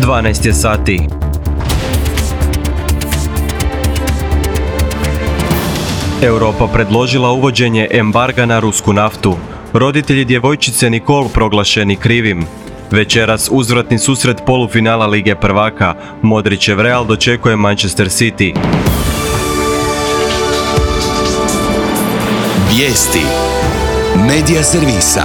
12 je sati. Europa predložila uvođenje embarga na rusku naftu. Roditelji djevojčice Nicole proglašeni krivim. Večeras uzvratni susret polufinala Lige prvaka. Modrićev Real dočekuje Manchester City. Vijesti Medija servisa.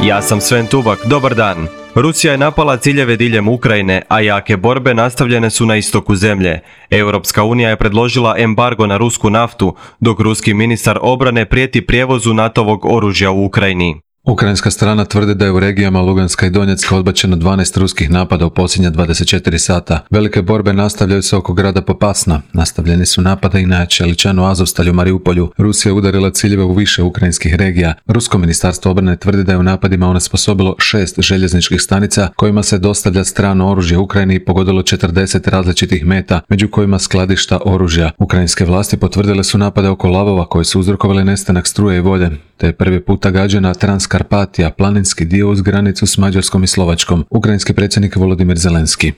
Ja sam Sven Tubak, dobar dan. Rusija je napala ciljeve diljem Ukrajine, a jake borbe nastavljene su na istoku zemlje. Europska unija je predložila embargo na rusku naftu, dok ruski ministar obrane prijeti prijevozu NATO-vog oružja u Ukrajini. Ukrajinska strana tvrdi da je u regijama Luganska i Donjecka odbačeno 12 ruskih napada u posljednja 24 sata. Velike borbe nastavljaju se oko grada Popasna. Nastavljeni su napada i na Čeličanu, Azovstalju, Mariupolju. Rusija je udarila ciljeve u više ukrajinskih regija. Rusko ministarstvo obrane tvrdi da je u napadima onesposobilo 6 željezničkih stanica kojima se dostavlja strano oružje Ukrajini i pogodilo 40 različitih meta, među kojima skladišta oružja. Ukrajinske vlasti potvrdile su napade oko lavova koji su uzrokovali nestanak struje i vode, te je prvi puta gađena Transkarpatija, planinski dio uz granicu s Mađarskom i Slovačkom. Ukrajinski predsjednik Volodimir Zelenski.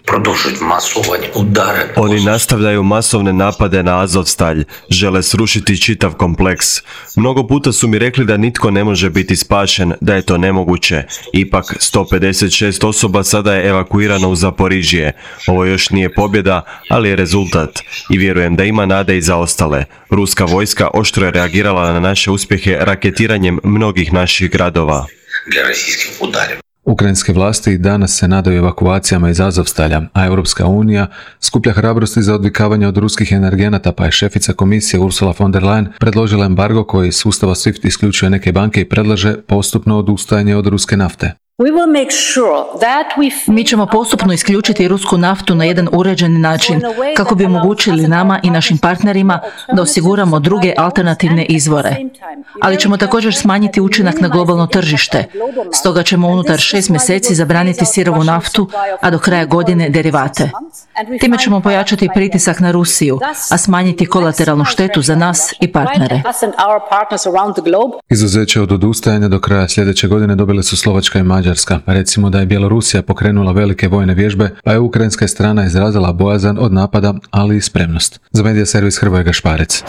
Oni nastavljaju masovne napade na Azovstalj, žele srušiti čitav kompleks. Mnogo puta su mi rekli da nitko ne može biti spašen, da je to nemoguće. Ipak 156 osoba sada je evakuirano u Zaporižje. Ovo još nije pobjeda, ali je rezultat. I vjerujem da ima nade i za ostale. Ruska vojska oštro je reagirala na naše uspjehe raketiranjem mnogih naših gradova. Ukrajinske vlasti i danas se nadaju evakuacijama iz Azovstalja, a Europska unija skuplja hrabrosti za odvikavanje od ruskih energenata, pa je šefica komisije Ursula von der Leyen predložila embargo koji iz sustava SWIFT isključuje neke banke i predlaže postupno odustajanje od ruske nafte. Mi ćemo postupno isključiti rusku naftu na jedan uređeni način kako bi omogućili nama i našim partnerima da osiguramo druge alternativne izvore. Ali ćemo također smanjiti učinak na globalno tržište. Stoga ćemo unutar 6 mjeseci zabraniti sirovu naftu, a do kraja godine derivate. Time ćemo pojačati pritisak na Rusiju, a smanjiti kolateralnu štetu za nas i partnere. Izuzeće od odustajanja do kraja sljedeće godine dobile su Slovačka i Mađarska. Recimo da je Bjelorusija pokrenula velike vojne vježbe, pa je ukrajinska strana izrazila bojazan od napada, ali i spremnost. Za Medija servis Hrvoje Gašparec.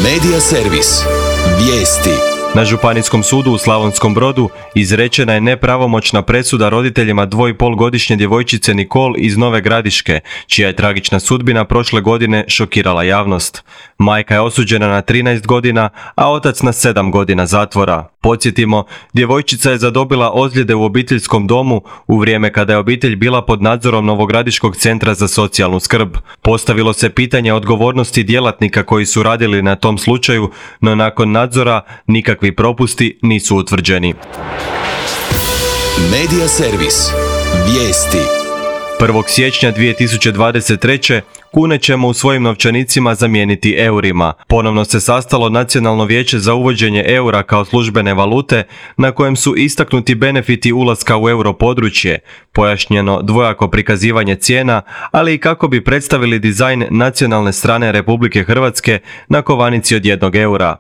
Medija servis. Vijesti. Na Županijskom sudu u Slavonskom Brodu izrečena je nepravomoćna presuda roditeljima 2,5-godišnje djevojčice Nicole iz Nove Gradiške, čija je tragična sudbina prošle godine šokirala javnost. Majka je osuđena na 13 godina, a otac na 7 godina zatvora. Podsjetimo, djevojčica je zadobila ozljede u obiteljskom domu u vrijeme kada je obitelj bila pod nadzorom Novogradiškog centra za socijalnu skrb. Postavilo se pitanje odgovornosti djelatnika koji su radili na tom slučaju, no nakon nadzora nikakvi propusti nisu utvrđeni. Medija servis. Vijesti. 1. siječnja 2023. kune ćemo u svojim novčanicima zamijeniti eurima. Ponovno se sastalo Nacionalno vijeće za uvođenje eura kao službene valute, na kojem su istaknuti benefiti ulaska u europodručje, pojašnjeno dvojako prikazivanje cijena, ali i kako bi predstavili dizajn nacionalne strane Republike Hrvatske na kovanici od 1 eura.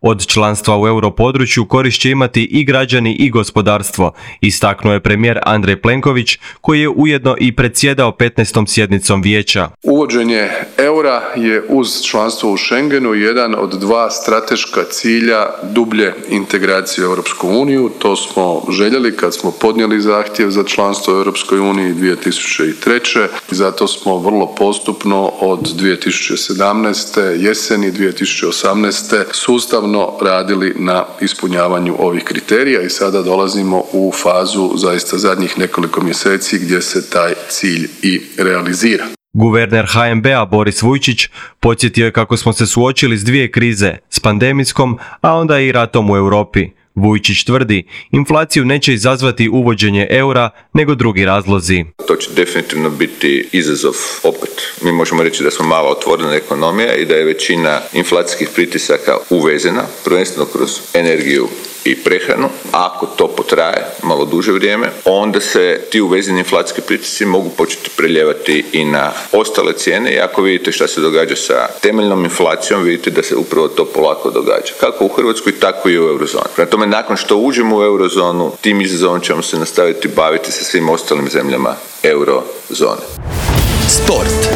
Od članstva u europodručju korist će imati i građani i gospodarstvo, istaknuo je premijer Andrej Plenković, koji je ujedno i predsjedao 15. sjednicom vijeća. Uvođenje eura je uz članstvo u Schengenu jedan od 2 strateška cilja dublje integracije u Europsku uniju. To smo željeli kad smo podnijeli zahtjev za članstvo u Europskoj uniji 2003. I zato smo vrlo postupno od 2017. jeseni 2018. sustavno radili na ispunjavanju ovih kriterija i sada dolazimo u fazu zaista zadnjih nekoliko mjeseci gdje se taj cilj i realizira. Guverner HNB-a Boris Vujčić podsjetio je kako smo se suočili s 2 krize, s pandemijskom, a onda i ratom u Europi. Vujčić tvrdi, inflaciju neće izazvati uvođenje eura, nego drugi razlozi. To će definitivno biti izazov opet. Mi možemo reći da smo malo otvorena ekonomija i da je većina inflacijskih pritisaka uvezena, prvenstveno kroz energiju i prehranu. Ako to potraje malo duže vrijeme, onda se ti uvezeni inflacijski pritisci mogu početi preljevati i na ostale cijene i ako vidite šta se događa sa temeljnom inflacijom, vidite da se upravo to polako događa. Kako u Hrvatskoj, tako i u eurozoni. Prema tome, nakon što uđemo u eurozonu, tim izazovom ćemo se nastaviti baviti sa svim ostalim zemljama eurozone. Sport.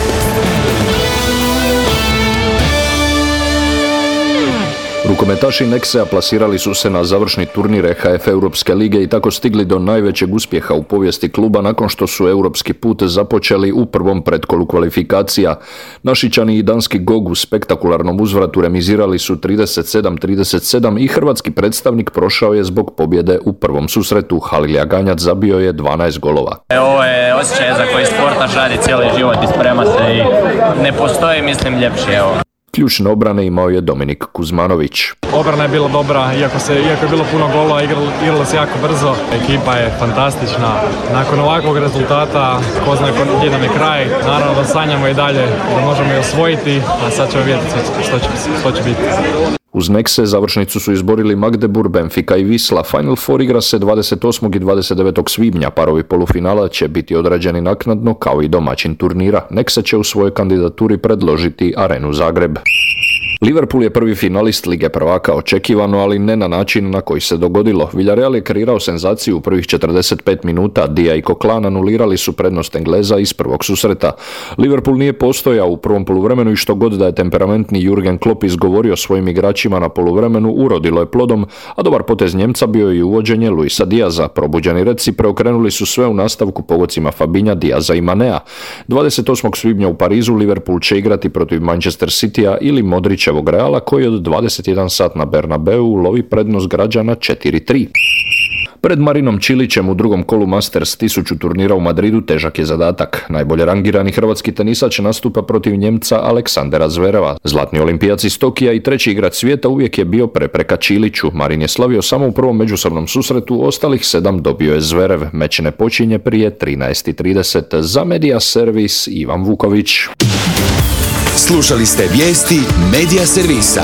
Rukometaši Nexea plasirali su se na završni turnir EHF Europske lige i tako stigli do najvećeg uspjeha u povijesti kluba nakon što su europski put započeli u prvom pretkolu kvalifikacija. Našičani i danski GOG u spektakularnom uzvratu remizirali su 37-37 i hrvatski predstavnik prošao je zbog pobjede u prvom susretu. Halilja Ganjac zabio je 12 golova. Ovo je osjećaj za koji sportaš radi cijeli život i sprema se i ne postoji, mislim, ljepše. Evo. Ključne obrane imao je Dominik Kuzmanović. Obrana je bila dobra, iako je bilo puno golova, igralo se jako brzo. Ekipa je fantastična. Nakon ovakvog rezultata, ko zna gdje nam je kraj, naravno da sanjamo i dalje da možemo je osvojiti, a sad ćemo vidjeti što će biti. Uz Nexe završnicu su izborili Magdeburg, Benfica i Wisla. Final Four igra se 28. i 29. svibnja. Parovi polufinala će biti odrađeni naknadno kao i domaćin turnira. Nexe će u svojoj kandidaturi predložiti Arenu Zagreb. Liverpool je prvi finalist Lige prvaka očekivano, ali ne na način na koji se dogodilo. Villarreal je kreirao senzaciju u prvih 45 minuta. Dia i Coquelin anulirali su prednost Engleza iz prvog susreta. Liverpool nije postojao u prvom poluvremenu i što god da je temperamentni Jurgen Klopp izgovorio svojim igračima na poluvremenu, urodilo je plodom, a dobar potez Njemca bio je i uvođenje Luisa Diaza. Probuđeni Redsi preokrenuli su sve u nastavku pogodcima Fabinha, Diaza i Manea. 28. svibnja u Parizu Liverpool će igrati protiv Manchester Citya ili Modrićevog Reala koji od 21 sat na Bernabeu lovi prednost građana 4-3. Pred Marinom Čilićem u drugom kolu Masters 1000 turnira u Madridu težak je zadatak. Najbolje rangirani hrvatski tenisač nastupa protiv Njemca Aleksandera Zvereva. Zlatni olimpijac iz Tokija i treći igrač svijeta uvijek je bio prepreka Čiliću. Marin je slavio samo u prvom međusobnom susretu, ostalih 7 dobio je Zverev. Meč ne počinje prije 13:30. Za Media Servis Ivan Vuković. Slušali ste vijesti Media Servisa.